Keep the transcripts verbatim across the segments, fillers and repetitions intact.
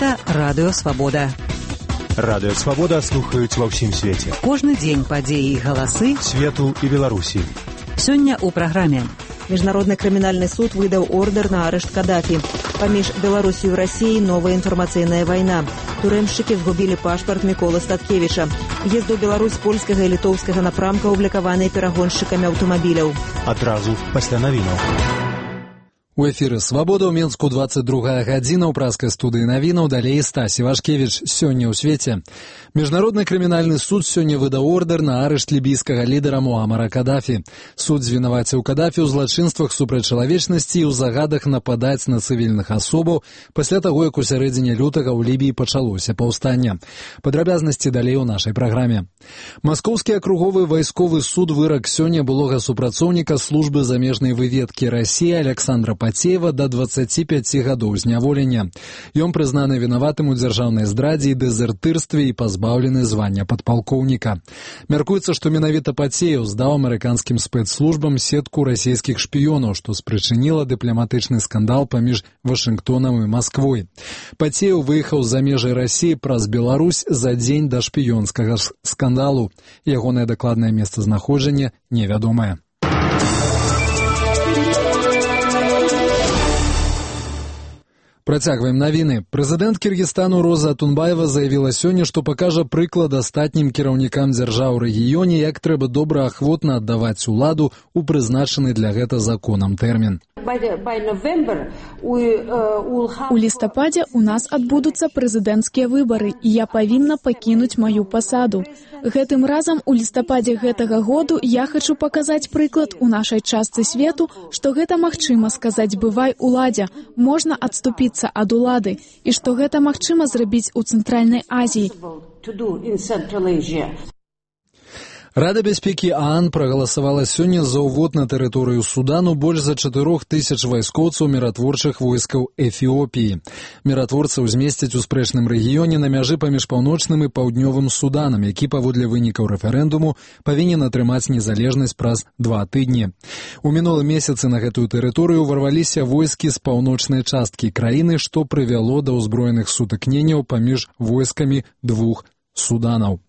Гэта Радыё Свабода. Радыё Свабода слухаюць ва ўсім свеце. Кожны дзень падзеі і галасы свету і Беларусі. Сёння ў праграме. Міжнародны крымінальны суд выдаў ордер на арышт Каддафі. Паміж Беларусью і Расіяй новая інфармацыйная вайна. Турэмшчыкі згубілі пашпарт Міколы Статкевіча. Езд у Беларусь польскага і літоўскага напрамка ублікаваныя перагоншчыкамі аўтамабіляў. Адразу пасля навінаў. У эфіры «Свабода» ў Менску двадцать другая гадзіна ў праскай студыі навінаў, далей Стась Івашкевіч. Сёння ў свеце. Міжнародны крымінальны суд сёння выдаў ордер на арышт лібійскага лідара Муамара Каддафі. Суд звінаваціў Каддафі ў злачынствах супраць чалавечнасці і ў загадах нападаць на цывільных асобаў пасля таго, як у сярэдзіне лютага ў Лібіі пачалося паўстанне. Падрабязнасці далей у нашай праграме. Маскоўскі акруговы вайсковы суд вырак сёння былога супрацоўніка службы замежнай выведкі Расіі Александра Пацеева да дваццаці пяці гадоў зняволення. Ён прызнаны вінаватым у дзяржаўнай здрадзе і дэзертырстве і пазбаўлены звання падпалкоўніка. Мяркуецца, што менавіта Пацеев здаў амерыканскім спецслужбам сетку расійскіх шпіёнаў, што спрычыніла дыпламатычны скандал паміж Вашынгтонам і Масквой. Пацеев выехаў за межы Расіі праз Беларусь за дзень да шпіёнскага скандалу. Ягонае дакладнае месцазнаходжанне невядомае. Працягваем навіны. Прэзідэнт Кіргізстану Роза Атунбаева заявіла сёння, што пакажа прыклад астатнім кіраўнікам дзяржаў у рэгіёне, як трэба добра ахвотна аддаваць уладу ў прызначаны для гэта законам тэрмін. У лістападзе у нас адбудуцца прэзідэнцкія выбары, і я павінна пакінуць маю пасаду. Гэтым разам у лістападзе гэтага году я хачу паказаць прыклад у нашай частцы свету, што гэта магчыма сказаць бывай уладзе, можна адступіцца ад улады, і што гэта магчыма зрабіць у Цэнтральнай Азіі. Рада бяспекі ААН прагаласавала сёння за ўвод на тэрыторыю Судану больш за чатырох тысяч вайскоўцаў міратворчых войскаў Эфіопіі. Міратворцаў змесцяць у спрэчным рэгіёне на мяжы паміж паўночным і паўднёвым Суданам, які паводле вынікаў рэферэндуму павінен атрымаць незалежнасць праз два тыдні. У мінулым месяцы на гэтую тэрыторыю ўварваліся войскі з паўночнай часткі краіны, што прывяло да ўзброеных сутыкненняў паміж войскамі двух Суданаў.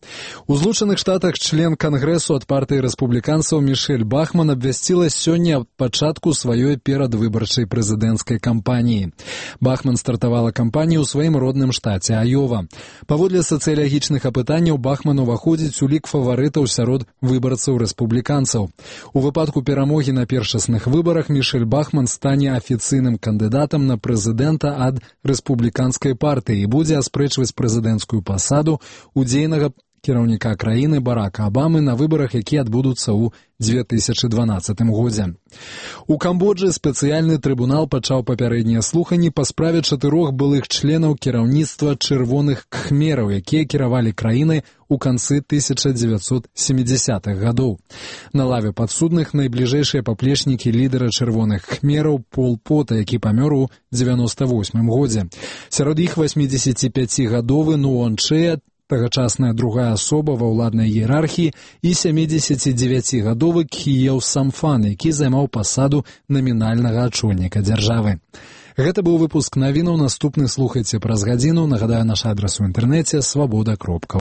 У Злучаных Штатах член Кангрэсу ад партыі рэспубліканцаў Мішэль Бахман абвясціла сёння пачатку сваёй перадвыбарчай прэзідэнцкай кампаніі. Бахман стартавала кампанію ў сваім родным штаце Айова. Паводле сацыялагічных апытанняў Бахман уваходзіць у лік фаварытаў сярод выбарцаў рэспубліканцаў. У выпадку перамогі на першасных выбарах Мішэль Бахман стане афіцыйным кандыдатам на прэзідэнта ад рэспубліканскай партыі і будзе аспрэчваць прэзідэнцкую пасаду удзейнага кіраўніка краіны Барака Абамы на выбарах, якія адбудуцца ў две тысячы дванаццатым годзе. У Камбоджы спецыяльны трыбунал пачаў папярэднія слуханні па справе чатырох былых членаў кіраўніцтва чырвоных кхмераў, якія кіравалі краінай у канцы тысяча дзевяцьсот сямідзясятых гадоў. На лаве падсудных найбліжэйшыя паплечнікі лідара чырвоных кхмераў Пол Пота, які памёр у дзевяноста восьмым годзе. Сярод іх васьмідзесяціпяцігадовы Нуон Чэя, тагачасная другая асоба ва ўладнай іерархіі, і сямідзесяцідзевяцігадовы Кхіеў Самфан, які займаў пасаду намінальнага ачольніка дзяржавы. Гэта быў выпуск навінаў, наступны слухайце праз гадзіну. Нагадаю, наш адрас у інтэрнэце свабода кропка